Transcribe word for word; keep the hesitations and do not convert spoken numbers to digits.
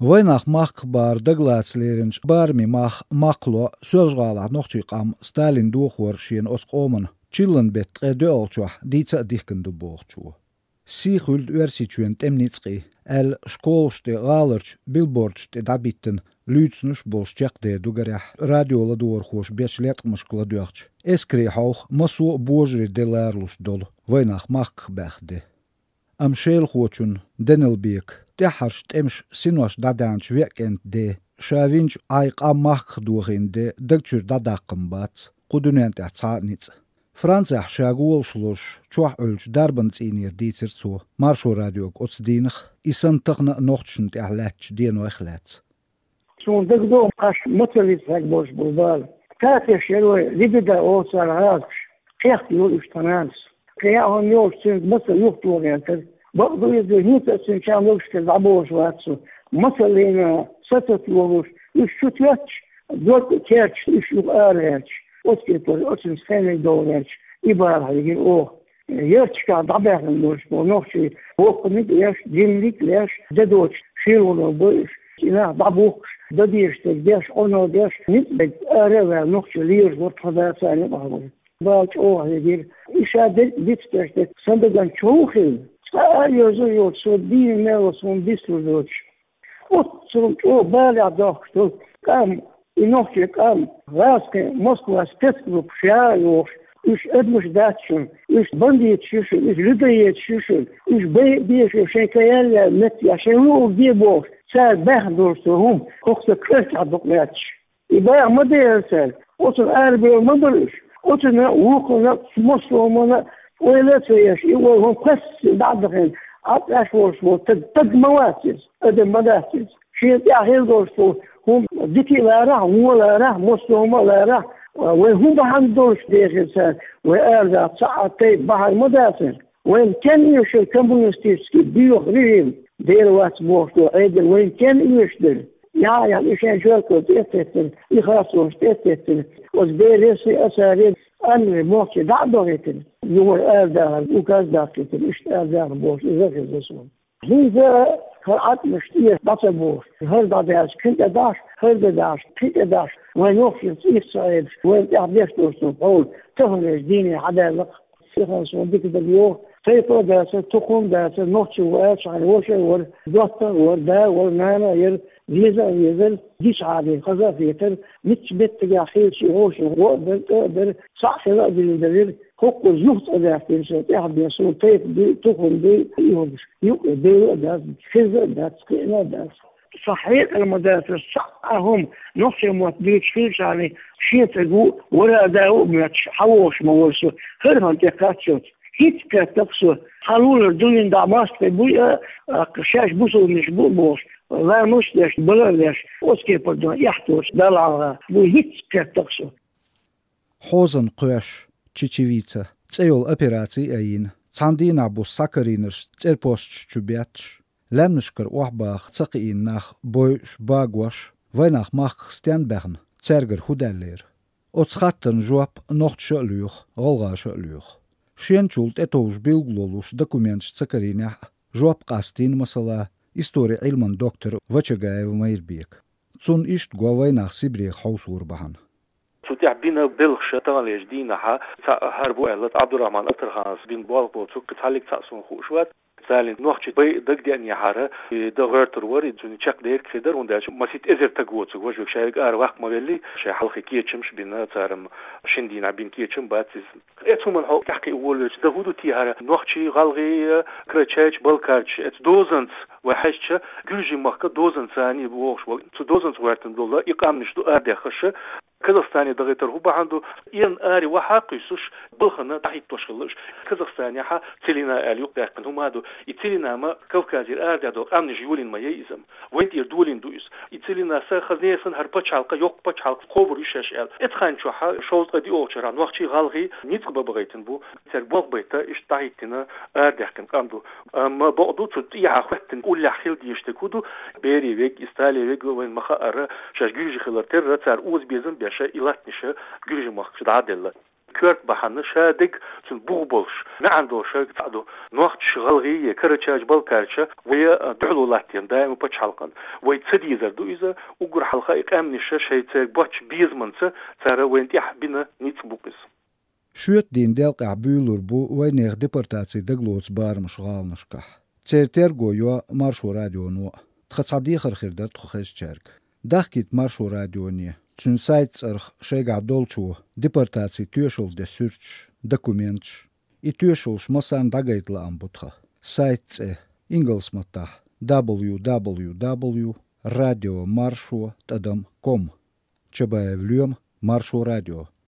Вайнах махках бахар дагалаца леринчу барамийн мах-, махкало Соьлжа-ГӀалахь нохчийн къам Сталин дохор шена оцу къоман чиллан беттан ткъе доьалгӀачохь дийца а дихкина ду бохучо. «Сий хуьлда Оьрсийчоьнан тӀеман ницкъийн» аьлла, школашна тӀе, гӀаларчу билбордашна тӀе дӀабиттина, луьйцуш болуш чекхдер ду, гарехь, радио ладогӀархоша бечу леткъамашка ладоьгӀча, эскарийн хьовха массо а божарийн де ларалуш долу вайнах махках баьхна де. Амма Шелахочун Данилбекан тӀаьххьарчу тӀемаша синош дӀадаьхьначу веа кӀентан ден, ша винчу Ӏай къам махках дохийна ден даг чуьра дӀадаккха-м бац кху дуьнен тӀехь цхьа а ницкъ. Францехь ша гӀолаш лозуш, чохь Ӏуьллучу дарбан цӀийнера дийцира цо Маршо радиога оцу дийнах, и санна тахана а нохчашна тӀехь лаьттачу денойх лаьцна. Суна дагадогӀу, аш мацаллица хьегна болуш болу бала. Татеш яра вай, Лидида олу цара гӀазакхаша. Кхехта йолу уьш тхан нанас. Кхин яа хӀума йолуш цуьнга мацалла юхатохийтира. Бакъ ду иза, хӀинца а цуьнан чам логашкара дӀаболуш вац со. Мацаллина сацат йолуш, уьш чу тоьттуш, дог а керташ, уьш юха ара гӀерташ. Оцу кепара оцуьнца хениг догӀу гӀерташ, и бала хьегира оха. Ярташкахь дӀабаьхна болуш болу нохчий, воккханиг а еш, динниг а еш, де доцуш шелоно бойуш, и нах дӀабухкуш, дан дезаш дерг деш, Ӏуно деш, ницкъ берг ара а ваьлла, нохчий лелаш вара тхан да, царна юкъахь вара. Бала чӀогӀа хьегира. И ша дерг а дицдеш дерг сан дагана чов хилла. Цкъа а йоза а йоцуш, со дийна мел вац хӀума дицлур доцуш. Оццул чӀогӀа балехь дохкуш долу къам, и нохчийн къам, гӀазкхийн Москва спецгруппаш яа йохуш, уьш адамаш дац шуна, уьш бандиташ ю шуна, уьш людоедаш ю шуна, уьш байа а бе шуна, шайн каялла меттехь, шайн луург де бохуш, цара баьхна долуш цо хӀума, хӀокху сан коьртехь дукха лаьтташ. И баха ма дера цара, оцунна арабевлла ма бара уьш, оцунна, вукхунна, массо а хӀуманна ойла а ца еш, и ойла хӀума кхаьссина дӀа а дахийна, Ӏад Ӏаш волуш волу таг, таг ма вац иза, адам ма дац иза. Шена тӀехь хила долуш долу хӀума дика а ларахь, вон а ларахь, массо а хӀума а ларахь, вай хӀун бахьана долуш дехира цара, вай арадаха цхьа а тайпа бахьана ма дацара. Вайна кен оьшура коммунистический боьха режим, дера вац бохуш долу Ӏедал вайна кен оьшура. Яхьа, яхьа, и шайн жоьпалла тӀе а теттина, и харцонаш тӀе а теттина, оцу Береси а, Асари а, Анри мохчий дӀа а дохийтина, юхара арадахар указ даккхийтина, иштта арадахар бохуш, иза а хезна суна. ХӀинца а хӀара Ӏатмаш тӀе дӀа ца бохуш, хӀара дӀадаьлча, кхин тӀе дахьаш, хӀара де дахьаш, кхин тӀе дахьаш, вайн нохчашца ирс ца Ӏедаш, вайна тӀехь деш долуш долу хьовла, таханлерчу дийне хьадаьлла-кх. Сихан суна дика дага йогӀу, тайпа а дацара, тухум а дацара, нохчи ву аьлча, хьайн ваша а вара, доттагӀа а вара, да а вара, нана а яра, веза а везара, гича хьале хаза а хетара, мичча меттигехь хилча а вовшийн гӀо а дара, тӀе а дара, цхьаъ хила а дилла далира, хӀокхуза юха цӀа даьхкина шайн тӀаьхьа бен суна тайпа дуй, тухум дуй, и хӀумаш юкъе девла а дац, хеза а дац, кхиъна а дац. Сан хьекъал ма дацара, цхьа а хӀума, нохчийн мотт дуьйцуш хилчахьана, шен цӀе гу, вара а да а моьттуш, хьан вогӀуш ма вара со, хӀара хӀума тӀе кхаччалц. ХӀинца кхеттакх со, хьан лулара дуьйна дӀа мостагӀий буй а, а, шаьш бусулбанаш бу а бохуш, ламаз а деш, бала а деш, оцу кепара дан эхь тоцуш, Далла хьалха буй, хӀинца кхеттакх со. Хьозан кхоьш, чечевица цӀе йолу операци а йина, цхьана дийнахь буса схьакарийнарш цӀерпосташ чу бетташ, лаьмнашкара охьабаха ца кхиийна нах бойуш, багош, вайнах махках стенна баьхна, цаьргара хӀун даьллера? Оцу хаттарна жоп нохчаша а лоьху, гӀалгӀаша а лоьху. Шенчул тӀетовжа билгало луш документаш ца карийнехь а, жоп къастийна, масала, историн Ӏилман доктор Вачагаев Майрбека. Цунна иштта го вайнах Сибрех хьовсор бахьана. Цу тӀехь бина белхаш таханлерчу дийнахьа цхьаъ хӀара бу аьлла, Ӏабдурахьман Атархановс бина болх бу, цу кхин цхьаллиг цхьаъ суна хууш вац. Царна нохчий байа дагадеанехьара, и дан гӀоьртур вара, и цуьнан чекхдерг хир дара, хӀунда аьлча масийтта эзар таг воцург важа верг шаьрга ара ваккха ма велли, шайн хьалхе кечамаш а бина, цара-м шина дийнахь бина кечам бац иза. Эцу хӀуманна хьо тӀаьхкхиа волавелча, дан хӀун ду те хӀара, нохчий, гӀалгӀай, карачайча, балкарча, эцу дозанца вай хьаьжча, Гуьржийн махка дозанца царний вогӀуш вара. Цу дозанца гӀоьртина долу и къаьмнаш ду арадаьххаш, Казахстане дахийтар хӀун бахьана ду, эрна аре вахьа а кхуьйсуш, балхана дӀахӀиттош хилла уьш. Казахстанехьа целина аьлла юкъадаьккхина хӀума а ду. И целина ма Кавказера арадаьхна долу къаьмнаш йолийна ма яй иза-м. Вайн тӀера долийна ду иза. И целина сан хазне сан хӀара пачхьалкх, йоккха пачхьалкх кхобур ю шаьш аьлла. Эцу хан чохьа шовзткъе диъолгӀачу шарахь нохчий, гӀалгӀай ницкъ бан бахийтина бу. Цаьрга болх байта, иштта дӀахӀиттина, арадаьхкина къам ду. Амма бакъ ду, цу тӀехьа хӀоьттина уллехь хила дезаш дерг хӀун ду, берийн вег, и сталин вег вайна ма хаъара, шаьш гуьржи хилар терра, цара оза безам а беш, и латтанаш гуьржийн махкахь дӀа а делла. Коьрта бахьана ша дег цуьнан бух болуш, маьӀна долуш шайга цхьаъ ду. Нохчаша, гӀалгӀаша, карачаьрша, балкхаьрша вай дуьхьало латтийна даима пачхьалкхана. Вай ца дезар ду иза, уггар хьалха и къаьмнаш шайн церан боцчу безамца цара вайна тӀехь бина ницкъ бу-кх иза. Шоьтан дийнан делкъехь буьйлур бу вайнехан депортацин дагалоцу барамаш гӀаланашкахь. Церан терго йо Маршо радионо а. Тхан цхьа дехар хир дара тхо хезначаьрга. Дахкийта Маршо радионе, цуьнан сайтан цӀарах шайгахь долчо депортацин тоьшалла ден суьрташ, документаш. И тоьшаллаш массарна дӀагайта лаам бу тхан. Сайтан цӀе: ингалс маттахь: дабл ю дабл ю дабл ю радио маршо тӀадам ком. Чабаев Лоьма, Маршо радио.